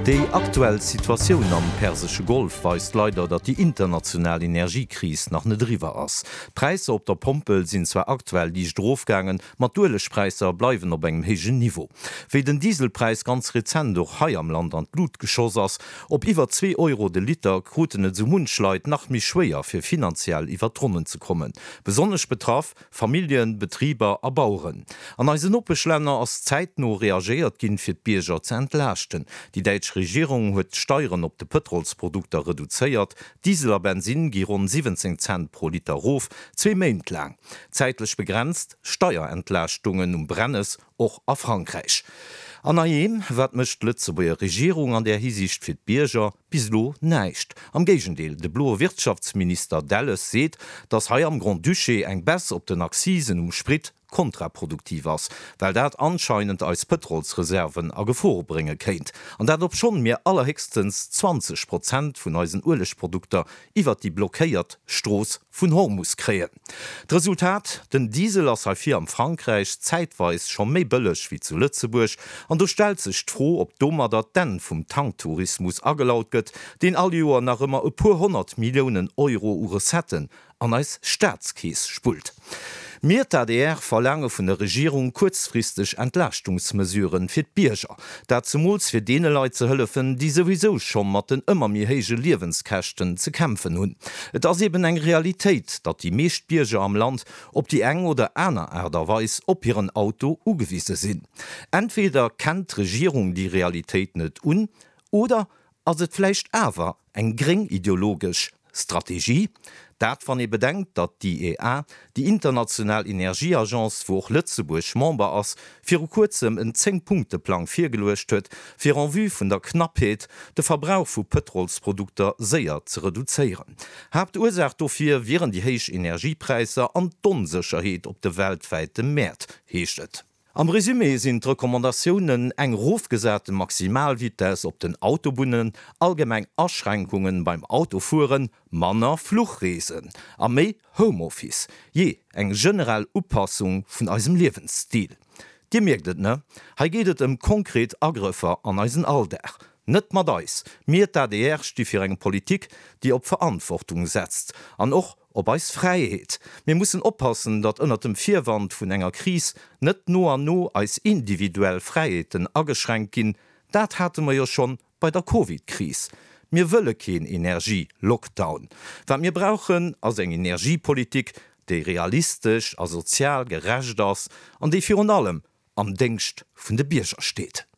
Déi aktuell Situatioun am persesche Golf weist leider, datt déi international Energiekris nach net eriwwer ass. D'Präisser op der Pompel sinn zwar aktuell liicht erofgaangen, ma d'Uelegpräisser bleiwen op engem héijen Niveau. Wéi den Dieselpräis ganz rezent och hei am Land an d'Lut geschoss ass, op iwwer 2 Euro de Liter, kruten et esou munch Leit nach méi schwéier, fir finanziell iwwer d'Ronnen ze kommen. Besonnesch betraff Familljen, Betriber a Baueren. An eisen Nopeschlänner ass zäitno reagéiert ginn, fir d'Bierger ze entlaaschten. Déi däitsch Regierung huet d'Steieren op de Pëtrolsprodukter reduzéiert. Diesel a Bensinn gi ronn 17 Cent pro Liter erof, zwee Méint laang. Zäitlech begrenzt Steierentlaaschtungen um Brennes och a Frankräich. An heiheem, wat mécht d'Lëtzebuerger Regierung an där Hisiicht fir d'Bierger? Bis elo näischt. Am Géigendeel, de bloe Wirtschaftsminister Delles seet, datt hei am Grand-Duché eng Baisse op den Accisen um Sprit kontraproduktiv ass, well dat anscheinend eis Pëtrolsreserven a Gefor brénge kéint. An dat obschonn mir allerhéchstens 20 Prozent vun eisen Uelegprodukter iwwert déi blockéiert Strooss vun Hormus kréien. D'Resultat, Den Diesel ass hei vir am Frankräich zäitweis scho méi bëlleg wéi zu Lëtzebuerg. An do stellt sech d'Fro, ob domadder d'Enn vum Tanktourismus agelaut gëtt, deen all Joer nach ëmmer e puer 100 Milliounen Euro u Recetten an eis Staatskeess spullt. Mir, d'ADR, verlaange vun der Regierung kuerzfristeg Entlaaschtungsmesuren fir d'Bierger. Dat zemools fir deene Leit ze hëllefen, déi souwisou scho mat den ëmmer méi héije Liewenskäschten ze kämpfen hunn. Et ass eben eng Realitéit, datt déi meescht Bierger am Land op déi eng oder aner Aart a Weis op hiren Auto ugewise sinn. Entweder kennt d'Regierung déi Realitéit net un, oder Ass et vläicht awer eng gréng ideologesch Strategie? Dat wann ee bedenkt, datt d'IEA, déi international Energieagence, wou och Lëtzebuerg Member ass, viru kuerzem en Zéng-Punkte-Plang virgeluecht huet, fir en vue vun der Knappheet de Verbrauch vu Pëtrolsprodukter séier ze reduzéieren. Haaptursaach dofir wieren déi héich Energiepräisser an d'Onsécherheet op de weltwäite Mäert, heescht et. Am Resumé sinn d'Recommandatiounen eng erofgesate Maximalvitess op den Autobunnen, allgemeng Aschränkungen beim Autofueren, manner Fluchreesen a méi Homeoffice, jee eng generell Upassung vun eisem Liewensstil. Dir mierkt et, ne? Hei geet et ëm konkret Agrëffer an eisen Alldag. Net mat eis! Mir, d'ADR, sti fir eng Politik, déi op Verantwortung setzt an och Op eis Fräiheet. Mir mussen oppassen, datt ënnert dem Virwand vun enger Kris net no an no eis individuell Fräiheeten ageschränkt ginn. Dat hate mer jo schonn bei der Covid-Kris. Mir wëlle keen Energie-Lockdown. Wat mir brauchen, ass eng Energiepolitik, déi realistesch a sozial gerecht ass an déi virun allem am Déngscht vun de Bierger steet.